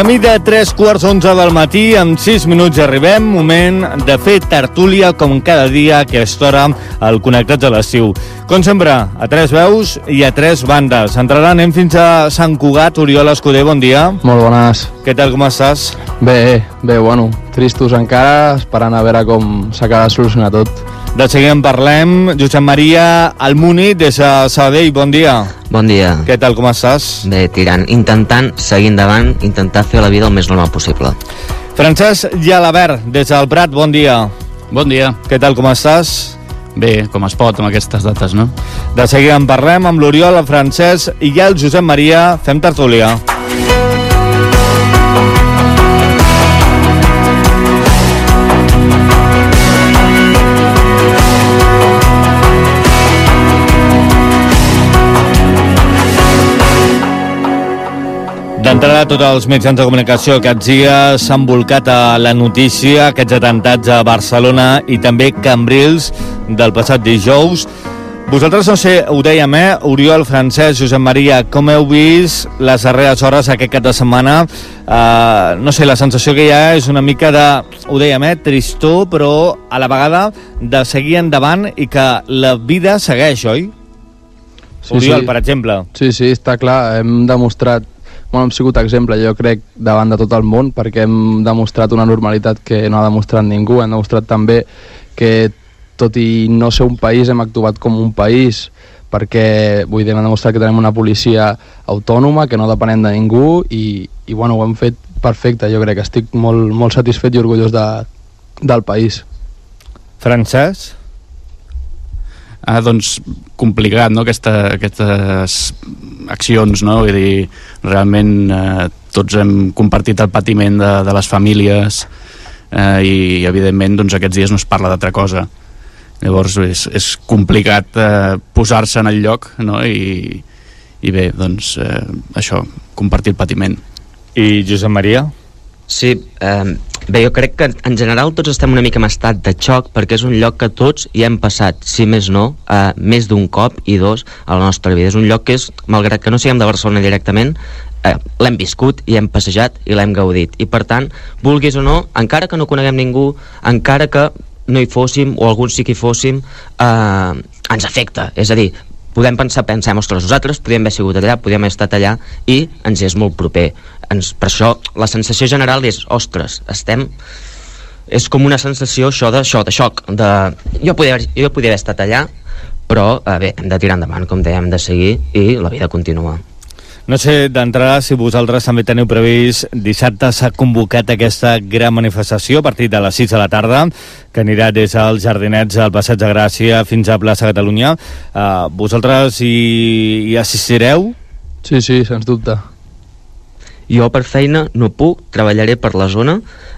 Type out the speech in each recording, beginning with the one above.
Camí de 3:15 del matí, en 6 minuts arribem, moment de fer tertúlia com cada dia a aquesta hora al Connectats a l'estiu. Com sempre, a 3 veus i a 3 bandes. Entraran, anem fins a Sant Cugat. Oriol Escuder, bon dia. Molt bones. Què tal, com estàs? Bé, bueno, tristos encara, esperant a veure com s'acaba de solucionar tot. De seguida en parlem. Josep Maria Almuni, des de Sabadell, bon dia. Bon dia. Què tal, com estàs? Bé, tirant, intentant seguir endavant, intentar fer la vida el més normal possible. Francesc Jalabert, des del Prat, bon dia. Bon dia. Què tal, com estàs? Bé, com es pot amb aquestes dates, no? De seguida en parlem amb l'Oriol, el Francesc i ja el Josep Maria. Fem tertúlia. D'entrada, tots els mitjans de comunicació aquests dies s'han volcat a la notícia, aquests atentats a Barcelona i també Cambrils del passat dijous. Vosaltres, no sé, ho dèiem, Oriol, Francesc, Josep Maria, com heu vist les darreres hores aquest cap de setmana? No sé, la sensació que hi ha és una mica de, ho dèiem, tristor, però a la vegada de seguir endavant i que la vida segueix, oi? Sí, Oriol, sí. Per exemple. Sí, està clar, hem demostrat, hem sigut exemple, jo crec, davant de tot el món, perquè hem demostrat una normalitat que no ha demostrat ningú, hem demostrat també que tot i no ser un país hem actuat com un país, perquè vull dir, hem demostrat que tenim una policia autònoma, que no depenem de ningú i bueno, ho hem fet perfecte. Jo crec que estic molt satisfet i orgullós del país. Francesc? Doncs complicat, no?, aquestes accions, no? Vull dir, realment tots hem compartit el patiment de les famílies i evidentment doncs, aquests dies no es parla d'altra cosa. Llavors és complicat posar-se en el lloc, no? I bé, doncs això, compartir el patiment. I Josep Maria? Sí, bé, jo crec que en general tots estem una mica en estat de xoc perquè és un lloc que tots hi hem passat, si més no, més d'un cop i dos a la nostra vida. És un lloc que és, malgrat que no siguem de Barcelona directament, l'hem viscut i hem passejat i l'hem gaudit. I per tant, vulguis o no, encara que no coneguem ningú, encara que no hi fóssim o alguns sí que hi fóssim, ens afecta. És a dir, podem pensem, ostres, nosaltres podíem haver sigut allà, podíem haver estat allà i ens és molt proper. Per això la sensació general és, ostres, és com una sensació de xoc, jo podia haver estat allà, però bé, hem de tirar endavant, com dèiem, hem de seguir i la vida continua. No sé, d'entrada, si vosaltres també teniu previst, dissabte s'ha convocat aquesta gran manifestació a partir de les 6 de la tarda, que anirà des als Jardinets al Passeig de Gràcia fins a Plaça Catalunya. Vosaltres hi assistireu? Sí, sens dubte. Jo per feina no puc, treballaré per la zona,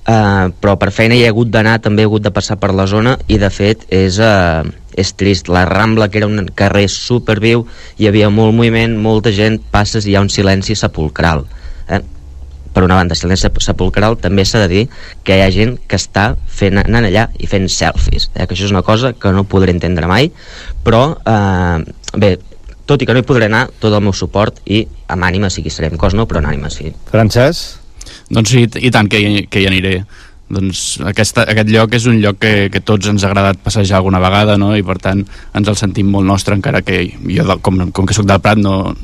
però per feina hi he hagut d'anar, també he hagut de passar per la zona i de fet és trist. La Rambla, que era un carrer superviu, hi havia molt moviment, molta gent, passes i hi ha un silenci sepulcral. Per una banda, silenci sepulcral, també s'ha de dir que hi ha gent que està anant allà i fent selfies, que això és una cosa que no podré entendre mai, però bé, tot i que no hi podré anar, tot el meu suport i amb ànima sí que hi serem, cos no, però amb ànima sí. Francesc? Doncs sí, i tant que hi aniré. Doncs aquest lloc és un lloc que tots ens ha agradat passejar alguna vegada, no? I per tant ens el sentim molt nostre, encara que jo, com que soc del Prat, no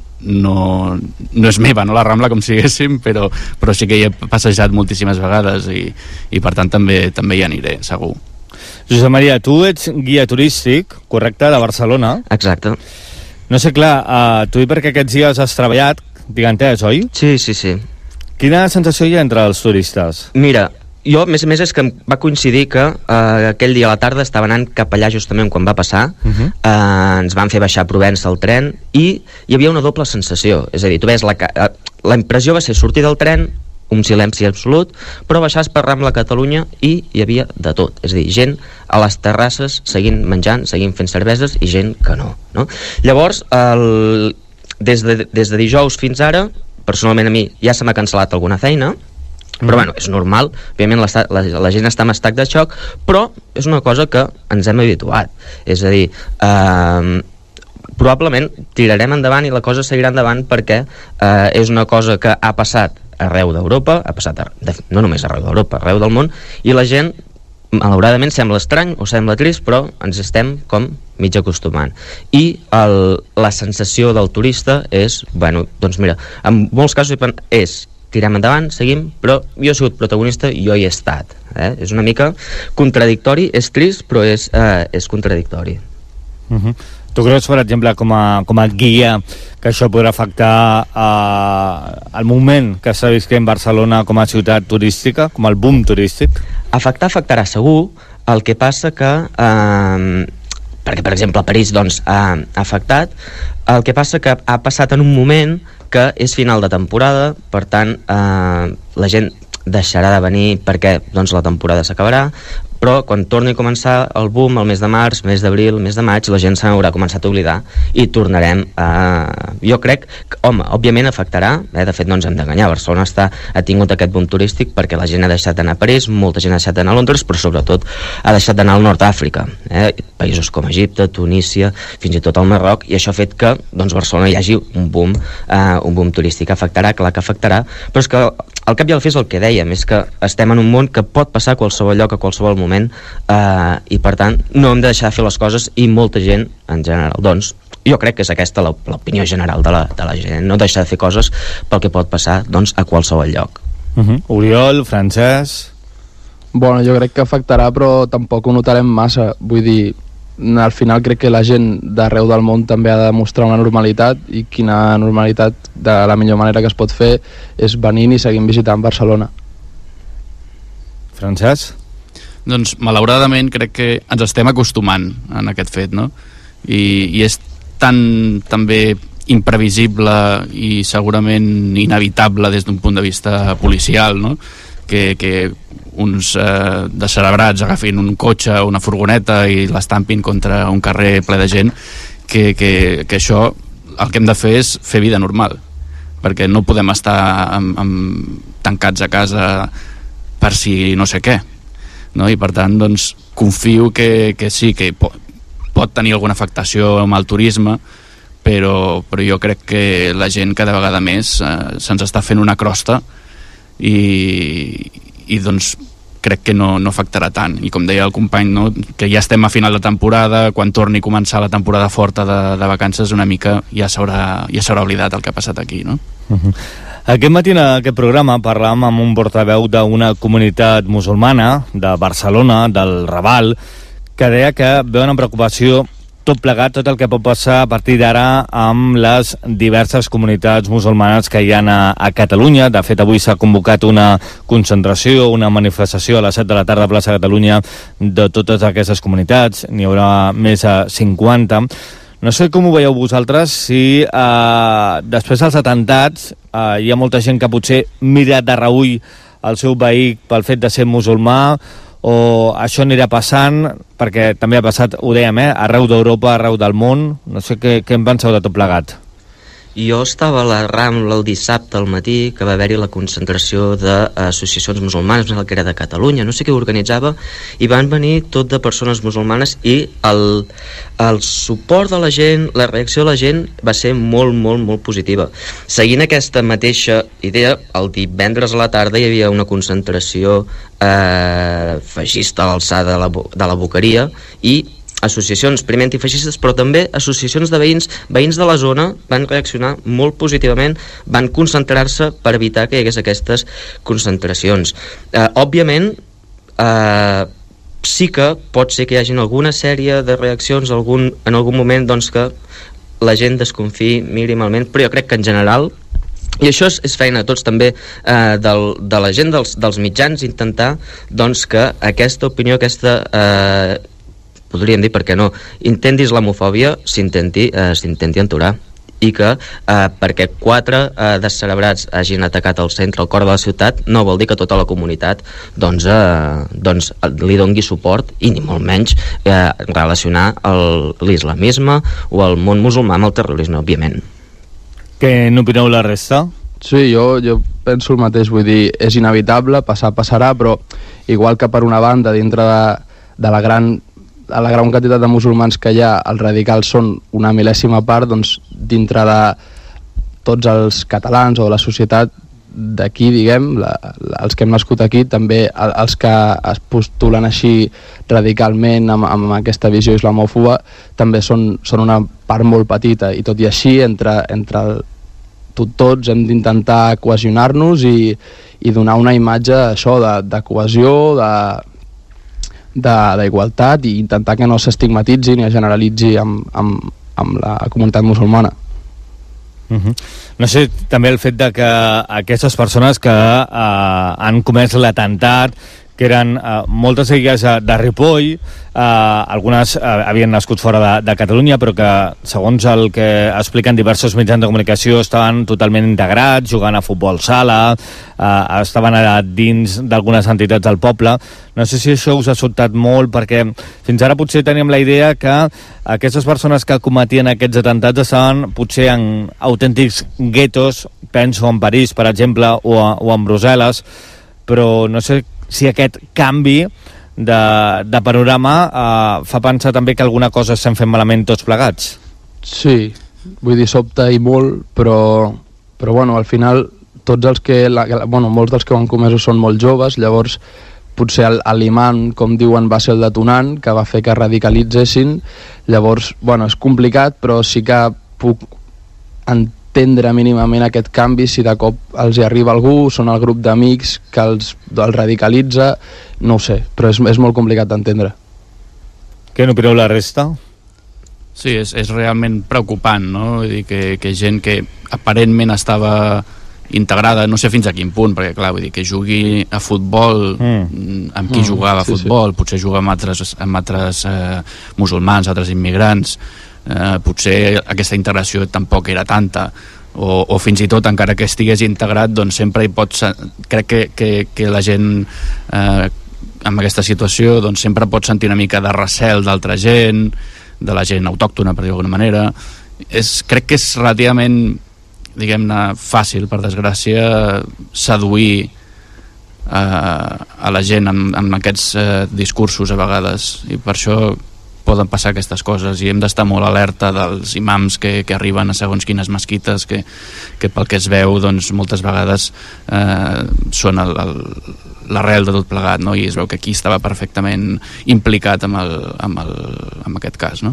és meva, no, la Rambla, com si diguéssim, però sí que hi he passejat moltíssimes vegades i per tant també hi aniré, segur. Josep Maria, tu ets guia turístic, correcte, de Barcelona? Exacte. No sé, clar, tu perquè aquests dies has treballat, digues, oi? Sí. Quina sensació hi ha entre els turistes? Mira, jo, a més és que em va coincidir que aquell dia a la tarda estava anant cap allà justament quan va passar, ens van fer baixar a Provença el tren i hi havia una doble sensació, és a dir, tu ves la impressió va ser sortir del tren, un silenci absolut, però baixaves per Rambla Catalunya i hi havia de tot, és a dir, gent a les terrasses seguint menjant, seguint fent cerveses i gent que no? Llavors, des de dijous fins ara, personalment a mi ja se m'ha cancel·lat alguna feina, però bueno, és normal, òbviament la gent està en estat de xoc, però és una cosa que ens hem habituat, és a dir, probablement tirarem endavant i la cosa seguirà endavant perquè és una cosa que ha passat arreu d'Europa, ha passat no només arreu d'Europa, arreu del món, i la gent, malauradament, sembla estrany o sembla trist, però ens estem com mig acostumant. I la sensació del turista és, bueno, doncs mira, en molts casos és tirem endavant, seguim, però jo he sigut protagonista i jo hi he estat. És una mica contradictori, és trist, però és contradictori. Tu creus, per exemple, com a guia, que això podrà afectar el moment que està visquent Barcelona com a ciutat turística, com el boom turístic? Afectarà segur. El que passa que perquè per exemple a París doncs ha afectat, el que passa que ha passat en un moment que és final de temporada, per tant la gent deixarà de venir perquè doncs la temporada s'acabarà, però quan torni a començar el boom, el mes de març, mes d'abril, mes de maig, la gent se n'haurà començat a oblidar i tornarem a... Jo crec que, home, òbviament afectarà, de fet no ens hem d'enganyar, Barcelona ha tingut aquest boom turístic perquè la gent ha deixat d'anar a París, molta gent ha deixat d'anar a Londres, però sobretot ha deixat d'anar al nord d'Àfrica, països com Egipte, Tunísia, fins i tot al Marroc, i això ha fet que doncs, Barcelona hi hagi un boom turístic. Afectarà, clar que afectarà, però és que al cap i al fi és el que dèiem, és que estem en un món que pot passar a qualsevol lloc, a qualsevol moment, i per tant no hem de deixar de fer les coses, i molta gent en general, doncs jo crec que és aquesta l'opinió general de la gent, no deixar de fer coses pel que pot passar doncs a qualsevol lloc. Oriol, Francesc? Bueno, jo crec que afectarà, però tampoc ho notarem massa, vull dir, al final crec que la gent d'arreu del món també ha de mostrar una normalitat, i quina normalitat, de la millor manera que es pot fer és venint i seguint visitant Barcelona. Francesc? Doncs malauradament crec que ens estem acostumant en aquest fet, no? I és tan també imprevisible i segurament inevitable des d'un punt de vista policial, no? Que uns descerebrats agafin un cotxe o una furgoneta i l'estampin contra un carrer ple de gent, que això el que hem de fer és fer vida normal, perquè no podem estar tancats a casa per si no sé què, no? I per tant doncs confio que sí, que pot tenir alguna afectació amb el turisme, però jo crec que la gent cada vegada més se'ns està fent una crosta, i doncs crec que no afectarà tant, i com deia el company, no? Que ja estem a final de temporada, quan torni a començar la temporada forta de vacances una mica ja s'haurà oblidat el que ha passat aquí, no? Aquest matí en aquest programa parlàvem amb un portaveu d'una comunitat musulmana de Barcelona, del Raval, que deia que veuen amb preocupació tot plegat, tot el que pot passar a partir d'ara amb les diverses comunitats musulmanes que hi ha a Catalunya. De fet, avui s'ha convocat una concentració, una manifestació a les 7 de la tarda a Plaça Catalunya de totes aquestes comunitats. N'hi haurà més de 50. No sé com ho veieu vosaltres, si després dels atentats hi ha molta gent que potser mira de reüll el seu veí pel fet de ser musulmà, o això anirà passant, perquè també ha passat, ho dèiem, arreu d'Europa, arreu del món. No sé què en penseu de tot plegat. Jo estava a la Rambla el dissabte al matí, que va haver-hi la concentració d'associacions musulmanes, que era de Catalunya, no sé què organitzava, i van venir tot de persones musulmanes, i el suport de la gent, la reacció de la gent va ser molt, molt, molt positiva. Seguint aquesta mateixa idea, el divendres a la tarda hi havia una concentració feixista a l'alçada de la Boqueria, i associacions primer antifeixistes, però també associacions de veïns de la zona van reaccionar molt positivament, van concentrar-se per evitar que hi hagués aquestes concentracions. Òbviament, sí que pot ser que hi hagi alguna sèrie de reaccions en algun moment doncs, que la gent desconfiï mínimament, però jo crec que en general, i això és feina tots també de la gent dels mitjans, intentar doncs, que aquesta opinió, podríem dir, per què no, intenti islamofòbia s'intenti aturar, i que perquè 4 descerebrats hagin atacat el centre, el cor de la ciutat, no vol dir que tota la comunitat doncs li dongui suport, i ni molt menys relacionar l'islamisme o el món musulmà amb el terrorisme, òbviament. Què n'opineu la resta? Sí, jo penso el mateix, vull dir, és inevitable, passarà, però igual que per una banda dintre de la gran quantitat de musulmans que hi ha, els radicals són una mil·lèsima part, doncs dintre de tots els catalans o de la societat d'aquí, diguem, els que hem nascut aquí, també els que es postulen així radicalment amb aquesta visió islamòfoba, també són una part molt petita, i tot i així entre tots hem d'intentar cohesionar-nos i donar una imatge això de cohesió, d'igualtat, i intentar que no s'estigmatitzi ni es generalitzi amb la comunitat musulmana. No sé, també el fet de que aquestes persones que han comès l'atemptat, que eren moltes d'elles de Ripoll, algunes havien nascut fora de Catalunya, però que, segons el que expliquen diversos mitjans de comunicació, estaven totalment integrats, jugant a futbol sala, estaven dins d'algunes entitats del poble. No sé si això us ha sobtat molt, perquè fins ara potser teníem la idea que aquestes persones que cometien aquests atemptats estaven potser en autèntics guetos, penso en París, per exemple, o en Brussel·les, però no sé si aquest canvi de panorama fa pensar també que alguna cosa estem fent malament tots plegats. Sí, vull dir, sobta i molt, però bueno, al final tots els que, molts dels que ho han comès són molt joves, llavors potser l'imam, com diuen, va ser el detonant que va fer que radicalitzessin. Llavors, bueno, és complicat, però sí que puc entendre mínimament aquest canvi si de cop els hi arriba algú, són el grup d'amics que els radicalitza, no ho sé, però és molt complicat d'entendre. Què n'opineu la resta? Sí, és realment preocupant, no? Vull dir que gent que aparentment estava integrada, no sé fins a quin punt, perquè clar, vull dir que jugui a futbol amb qui jugava a futbol, sí. Potser juga amb altres musulmans, altres immigrants, potser aquesta integració tampoc era tanta, o fins i tot encara que estigués integrat, doncs sempre hi pots, crec que la gent en aquesta situació doncs sempre pot sentir una mica de recel d'altra gent, de la gent autòctona, per dir d'alguna manera. Crec que és relativament, diguem-ne, fàcil, per desgràcia, seduir a la gent amb aquests discursos a vegades, i per això poden passar aquestes coses, i hem d'estar molt alerta dels imams que arriben a segons quines mesquites que pel que es veu doncs moltes vegades són l'arrel de tot plegat, no? I es veu que aquí estava perfectament implicat amb aquest cas, no?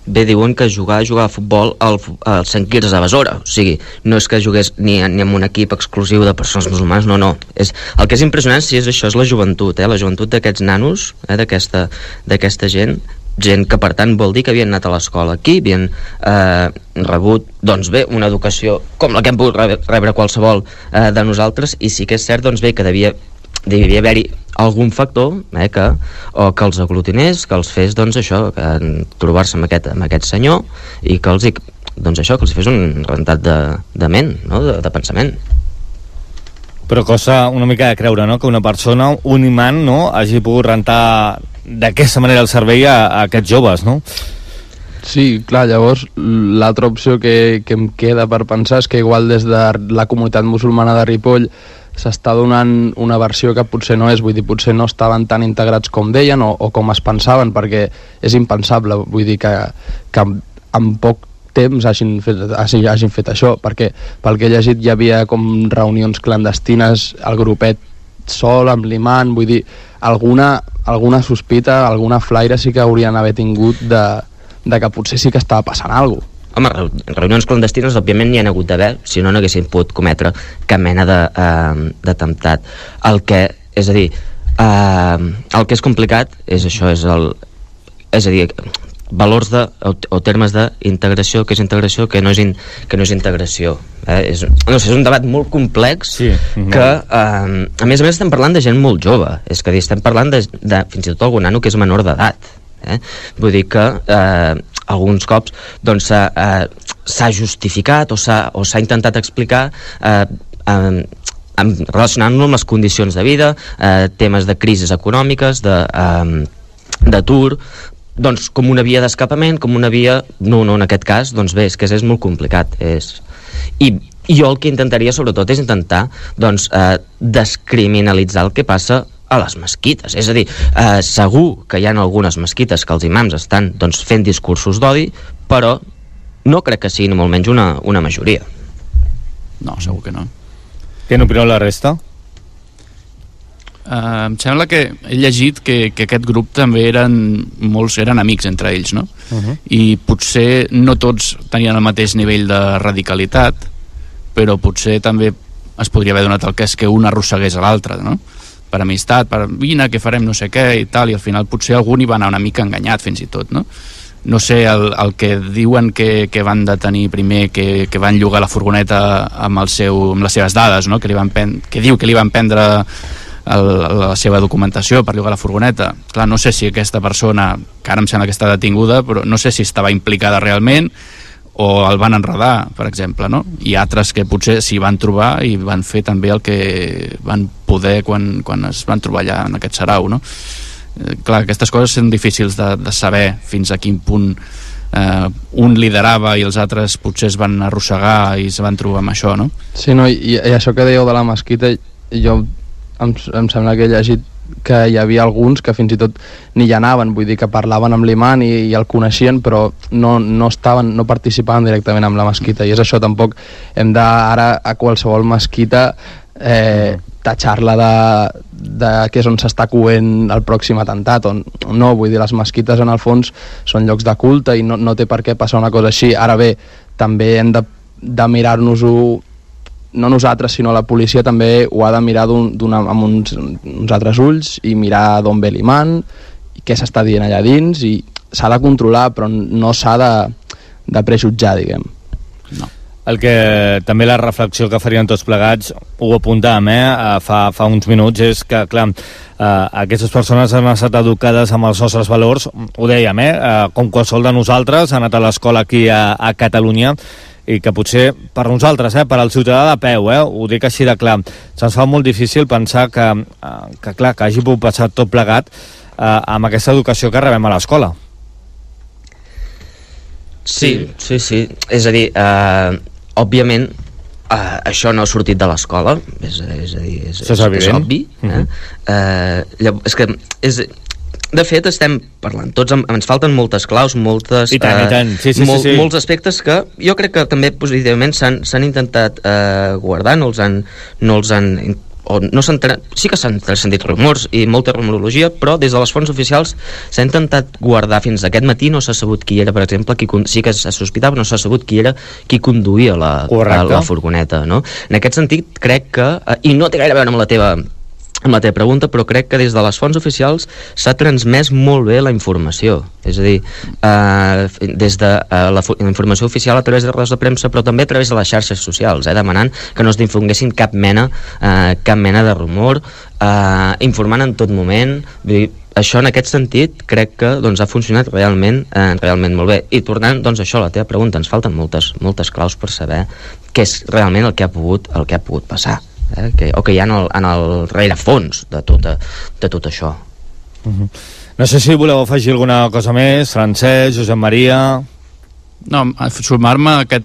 Bé, diuen que jugar a futbol al Sant Quirze de Besora, o sigui, no és que jugués ni en un equip exclusiu de persones musulmanes, no. El que és impressionant, sí, és això, és la joventut, la joventut d'aquests nanos, d'aquesta gent que per tant vol dir que havien anat a l'escola aquí, havien rebut, doncs bé, una educació com la que hem pogut rebre qualsevol de nosaltres, i sí que és cert, doncs bé, que devia haver-hi algun factor que els aglutinés, que els fes, doncs això, trobar-se amb aquest senyor, i que els fes un rentat de ment, no? de pensament. Però costa una mica de creure, no?, que una persona, un imant, no?, hagi pogut rentar d'aquesta manera el servei a aquests joves, no? Sí, clar, llavors l'altra opció que em queda per pensar és que igual des de la comunitat musulmana de Ripoll s'està donant una versió que potser no és, vull dir, potser no estaven tan integrats com deien o com es pensaven, perquè és impensable, vull dir, que en poc temps hagin fet això, perquè pel que he llegit hi havia com reunions clandestines, el grupet sol, amb l'imant, vull dir, alguna sospita, alguna flaire sí que haurien d'haver tingut de que potser sí que estava passant alguna cosa. Home, reunions clandestines òbviament n'hi ha hagut d'haver, si no haguessin pogut cometre cap mena d'atemptat. El que és complicat és això, és a dir, valors o termes d'integració, que és integració, que no és integració. És un debat molt complex, sí, que a més estem parlant de gent molt jove, és que estem parlant de fins i tot algun nano que és menor d'edat. Vull dir que alguns cops doncs s'ha justificat o s'ha intentat explicar relacionant-lo amb les condicions de vida, temes de crisis econòmiques, d'atur, doncs com una via d'escapament, com una via... No, en aquest cas, doncs bé, és que és molt complicat. I jo el que intentaria sobretot és intentar doncs descriminalitzar el que passa a les mesquites, és a dir, segur que hi ha algunes mesquites que els imams estan doncs, fent discursos d'odi, però no crec que sigui ni molt menys una majoria. No, segur que no. Què n'opineu la resta? Em sembla que he llegit que aquest grup també molts eren amics entre ells, no? I potser no tots tenien el mateix nivell de radicalitat, però potser també es podria haver donat el cas que un arrossegués a l'altre, no? Per amistat, per vine que farem no sé què i tal, i al final potser algú hi va anar una mica enganyat fins i tot, no? No sé, el que diuen que van detenir primer, que van llogar la furgoneta amb les seves dades, no? Que diu que li van prendre la seva documentació per llogar la furgoneta. Clar, no sé si aquesta persona, que ara em sembla que està detinguda, però no sé si estava implicada realment o el van enredar, per exemple, no? I altres que potser s'hi van trobar i van fer també el que van poder quan es van trobar allà en aquest sarau, no? Clar, aquestes coses són difícils de saber fins a quin punt un liderava i els altres potser es van arrossegar i es van trobar amb això, no? Sí, no, i això que dèieu de la mesquita, jo em sembla que he llegit que hi havia alguns que fins i tot ni hi anaven, vull dir que parlaven amb l'imam i el coneixien, però no participaven directament amb la mesquita, i és això, tampoc hem de ara a qualsevol mesquita tatxar-la de que és on s'està coent el pròxim atemptat, no, vull dir, les mesquites en el fons són llocs de culte i no té per què passar una cosa així. Ara bé, també hem de mirar-nos-ho, no nosaltres, sinó la policia també ho ha de mirar amb uns altres ulls i mirar d'on ve l'imam i què s'està dient allà dins, i s'ha de controlar, però no s'ha de prejutjar, diguem. No. El que també la reflexió que farien tots plegats, ho apuntàvem fa uns minuts, és que, clar, aquestes persones han estat educades amb els nostres valors, ho dèiem, com qualsevol de nosaltres, han anat a l'escola aquí a Catalunya, i que potser per nosaltres, per al ciutadà de peu, ho dic així de clar, se'ns fa molt difícil pensar que hagi pogut passar tot plegat amb aquesta educació que rebem a l'escola. Sí. És a dir, òbviament, això no ha sortit de l'escola, és obvi. És que de fet estem parlant tots, ens falten moltes claus, molts aspectes que jo crec que també positivament s'han intentat guardar, sí que s'han sentit rumors i molta rumorologia, però des de les fonts oficials s'ha intentat guardar. Fins aquest matí no s'ha sabut qui era, per exemple, sí que se sospitava, no s'ha sabut qui era qui conduïa la furgoneta, no? En aquest sentit crec que, i no té gaire a veure amb la teva pregunta, però crec que des de les fonts oficials s'ha transmès molt bé la informació, és a dir, des de la informació oficial a través de rodes de premsa, però també a través de les xarxes socials, demanant que no es difonguessin cap mena de rumor, informant en tot moment. Vull dir, això en aquest sentit crec que ha funcionat realment molt bé. I tornant això a la teva pregunta, ens falten moltes claus per saber què és realment el que ha pogut passar. O que hi ha en el rerefons de tot això. No sé si voleu afegir alguna cosa més, Francesc, Josep Maria. No, sumar-me el que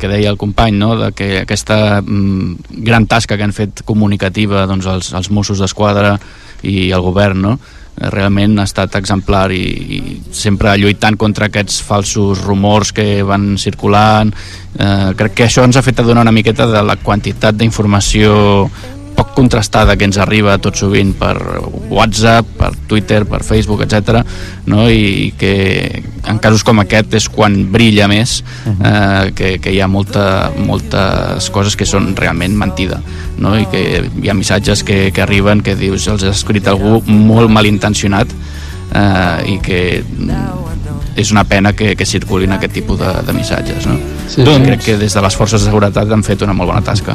deia el company, no? De que aquesta gran tasca que han fet comunicativa els Mossos d'Esquadra i el govern, no? Realment ha estat exemplar i sempre lluitant contra aquests falsos rumors que van circulant. Crec que això ens ha fet adonar una miqueta de la quantitat d'informació poc contrastada que ens arriba tot sovint per WhatsApp, per Twitter, per Facebook, etc. No? I que en casos com aquest és quan brilla més, que hi ha moltes coses que són realment mentida, no? I que hi ha missatges que arriben que dius, els ha escrit algú molt malintencionat, i que és una pena que circulin aquest tipus de missatges, no? Sí, doncs crec que des de les forces de seguretat han fet una molt bona tasca.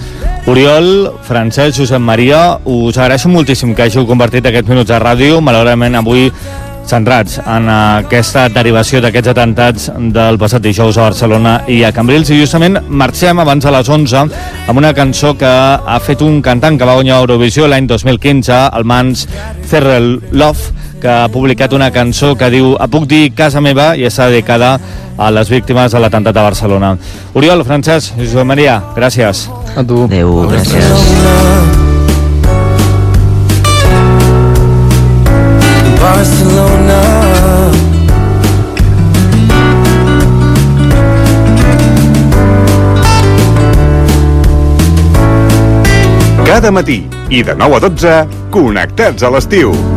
Oriol, Francesc, Josep Maria, us agraeixo moltíssim que hàgiu compartit aquests minuts de ràdio. Malauradament avui centrats en aquesta derivació d'aquests atemptats del passat dijous a Barcelona i a Cambrils, i justament marxem abans de les 11 amb una cançó que ha fet un cantant que va guanyar Eurovisió l'any 2015, el Mans Zerrelov, que ha publicat una cançó que diu "A puc dir casa meva", i està dedicada a les víctimes de l'atemptat de Barcelona. Oriol, Francesc, Josep Maria, gràcies. A tu. Adéu, gràcies. Barcelona, cada matí i de 9 a 12, Connectats a l'estiu.